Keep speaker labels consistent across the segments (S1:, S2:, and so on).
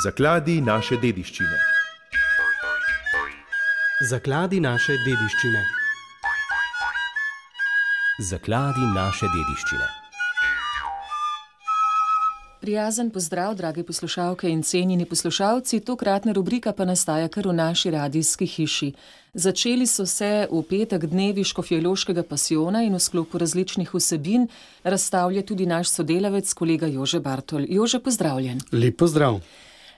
S1: Zakladi naše dediščine.
S2: Zakladi naše dediščine.
S3: Zakladi naše dediščine.
S4: Prijazen pozdrav, drage poslušalke in cenjeni poslušalci. Tokratna rubrika pa nastaja kar v naši radijski hiši. Začeli so se v petek dnevi Škofjeloškega pasijona in v sklopu različnih vsebin razstavlja tudi naš sodelavec, kolega Jože Bartol. Jože, pozdravljen.
S2: Lep pozdrav.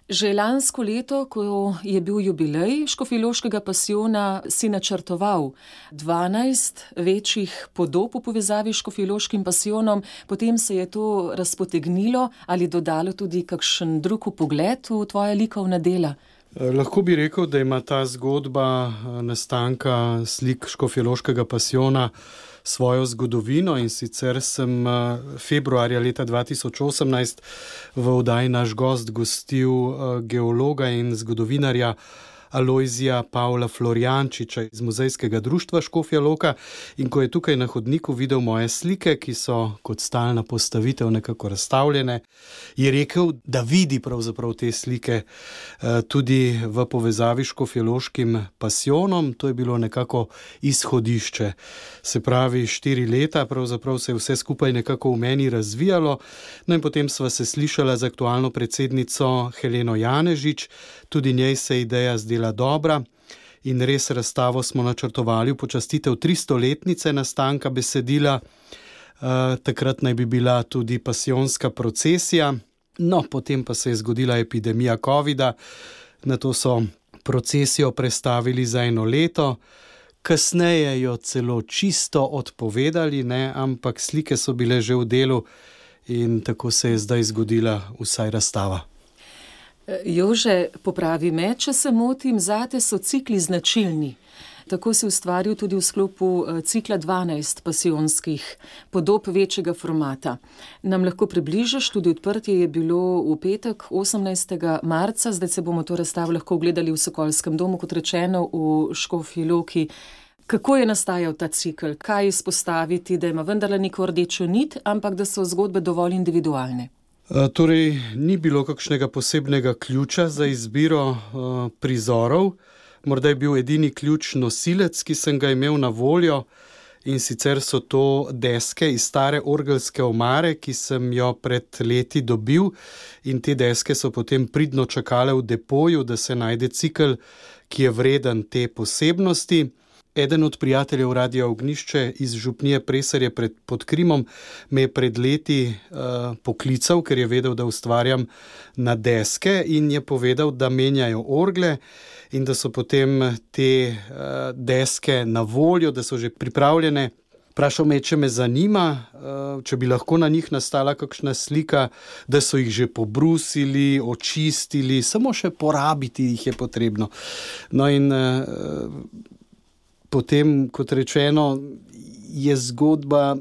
S4: Že lansko leto, ko je bil jubilej Škofjeloškega pasijona, si načrtoval 12 večjih podob v povezavi s Škofjeloškim pasijonom, potem se je to razpotegnilo ali dodalo tudi kakšen drug pogled v tvoja likovna dela?
S2: Lahko bi rekel, da ima ta zgodba nastanka slik Škofjeloškega pasijona svojo zgodovino, in sicer sem februarja leta 2018 v oddaji Naš gost gostil geologa in zgodovinarja Alojzija Pavla Florjančiča iz Muzejskega društva Škofja Loka, in ko je tukaj na hodniku videl moje slike, ki so kot stalna postavitev nekako razstavljene, je rekel, da vidi pravzaprav te slike tudi v povezavi s Škofjeloškim pasijonom. To je bilo nekako izhodišče. Se pravi, 4 leta pravzaprav se je vse skupaj nekako v meni razvijalo, no in potem sva se slišala z aktualno predsednico Heleno Janežič, tudi njej se ideja zdela dobra in res razstavo smo načrtovali v počastitev 300-letnice nastanka besedila. Takrat naj bi bila tudi pasijonska procesija, no potem pa se je zgodila epidemija covida, nato so procesijo prestavili za 1 leto, kasneje jo celo čisto odpovedali, ampak slike so bile že v delu in tako se je zdaj zgodila vsaj razstava.
S4: Jože, popravi me, če se motim, zate so cikli značilni. Tako si ustvaril tudi v sklopu cikla 12 pasijonskih podob večjega formata. Nam lahko približaš, tudi odprtje je bilo v petek 18. marca, zdaj se bomo to razstavo lahko ogledali v Sokolskem domu, kot rečeno v Škofji Loki. Kako je nastajal ta cikl? Kaj izpostaviti, da ima vendarle neko rdečo nit, ampak da so zgodbe dovolj individualne?
S2: Torej, ni bilo kakšnega posebnega ključa za izbiro prizorov. Morda je bil edini ključ nosilec, ki sem ga imel na voljo, in sicer so to deske iz stare orgelske omare, ki sem jo pred leti dobil, in te deske so potem pridno čakale v depoju, da se najde cikel, ki je vreden te posebnosti. Eden od prijateljev Radia Ognjišče iz župnije Preserje pod Krimom me je pred leti poklical, ker je vedel, da ustvarjam na deske, in je povedal, da menjajo orgle in da so potem te deske na voljo, da so že pripravljene. Vprašal me, če me zanima, če bi lahko na njih nastala kakšna slika, da so jih že pobrusili, očistili, samo še porabiti jih je potrebno. No in potem, kot rečeno, je zgodba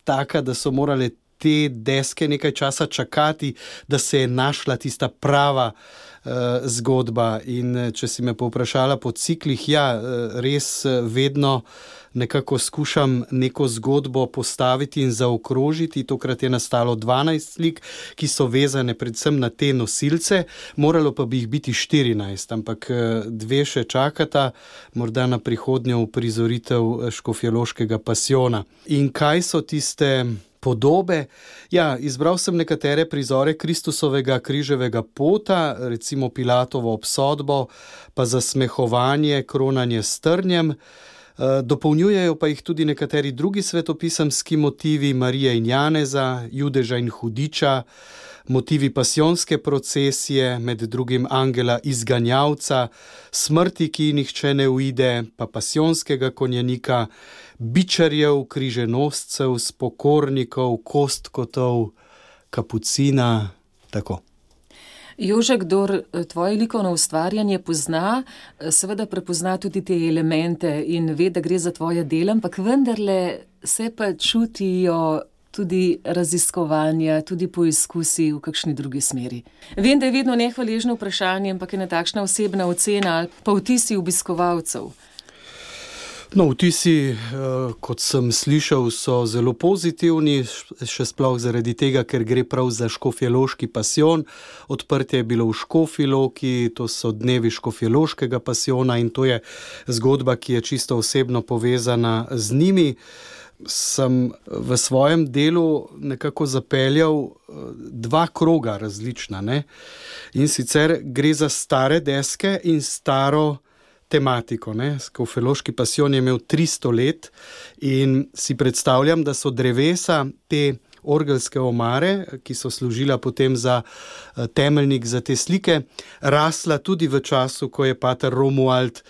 S2: taka, da so morale te deske nekaj časa čakati, da se je našla tista prava zgodba. In če si me povprašala po ciklih, res vedno nekako skušam neko zgodbo postaviti in zaokrožiti. Tokrat je nastalo 12 slik, ki so vezane predvsem na te nosilce, moralo pa bi jih biti 14, ampak 2 še čakata, morda na prihodnjo uprizoritev Škofjeloškega pasijona. In kaj so tiste podobe? Izbral sem nekatere prizore Kristusovega križevega pota, recimo Pilatovo obsodbo, pa zasmehovanje, kronanje s trnjem. Dopolnjujejo pa jih tudi nekateri drugi svetopisemski motivi Marije in Janeza, Judeža in Hudiča, motivi pasijonske procesije, med drugim angela izganjavca, smrti, ki nihče ne uide, pa pasijonskega konjenika, bičarjev, križenoscev, spokornikov, kostkotov, kapucina, tako.
S4: Jože, kdor tvoje likovno ustvarjanje pozna, seveda prepozna tudi te elemente in ve, da gre za tvoje delo, ampak vendarle se pa čutijo tudi raziskovanja, tudi poizkusi v kakšni drugi smeri. Vem, da je vedno
S2: No, vtisi, kot sem slišal, so zelo pozitivni, še sploh zaradi tega, ker gre prav za škofjeloški pasijon. Odprtje je bilo v Škofji Loki, to so dnevi škofjeloškega pasijona in to je zgodba, ki je čisto osebno povezana z njimi. Sem v svojem delu nekako zapeljal dva kroga različna, ne? In sicer gre za stare deske in staro tematiko, ne. Škofjeloški pasijon je imel 300 let in si predstavljam, da so drevesa te orgelske omare, ki so služila potem za temeljnik za te slike, rasla tudi v času, ko je pater Romuald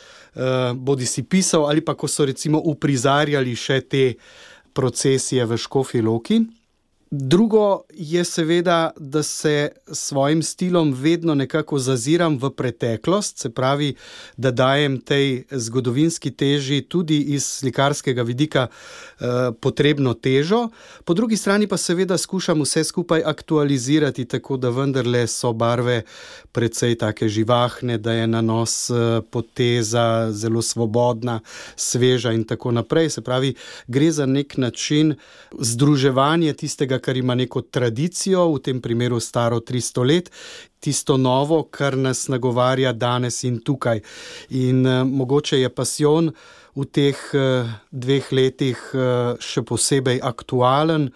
S2: bodisi pisal ali pa ko so recimo uprizarjali še te procesije v Škofji Loki. Drugo je seveda, da se s svojim stilom vedno nekako zaziram v preteklost, se pravi, da dajem tej zgodovinski teži tudi iz slikarskega vidika potrebno težo. Po drugi strani pa seveda skušam vse skupaj aktualizirati, tako da vendarle so barve precej take živahne, da je nanos poteza zelo svobodna, sveža in tako naprej. Se pravi, gre za nek način združevanja tistega, kar ima neko tradicijo, v tem primeru staro 300 let, tisto novo, kar nas nagovarja danes in tukaj. In mogoče je pasijon v teh 2 letih še posebej aktualen,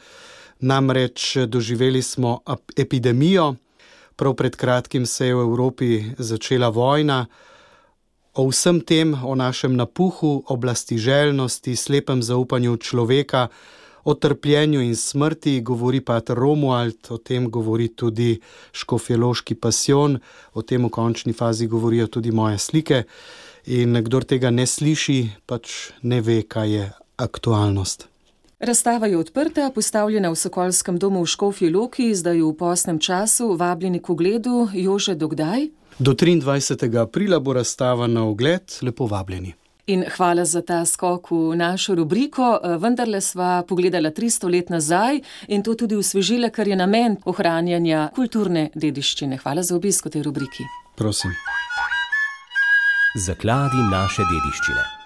S2: namreč doživeli smo epidemijo, prav pred kratkim se je v Evropi začela vojna. O vsem tem, o našem napuhu, oblastiželjnosti, slepem zaupanju človeka, o trpljenju in smrti govori pater Romuald, o tem govori tudi škofjeloški pasijon, o tem v končni fazi govorijo tudi moje slike in kdor tega ne sliši, pač ne ve, kaj je aktualnost.
S4: Razstava je odprta, postavljena v Sokolskem domu v Škofji Loki, zdaj v postnem času, vabljeni k ogledu. Jože, do kdaj?
S2: Do 23. aprila bo razstava na ogled, lepo vabljeni.
S4: In hvala za ta skok v našo rubriko. Vendarle sva pogledala 300 let nazaj in to tudi osvežila, kar je namen ohranjanja kulturne dediščine. Hvala za obisk v tej rubriki.
S2: Prosim.
S3: Zakladi naše dediščine.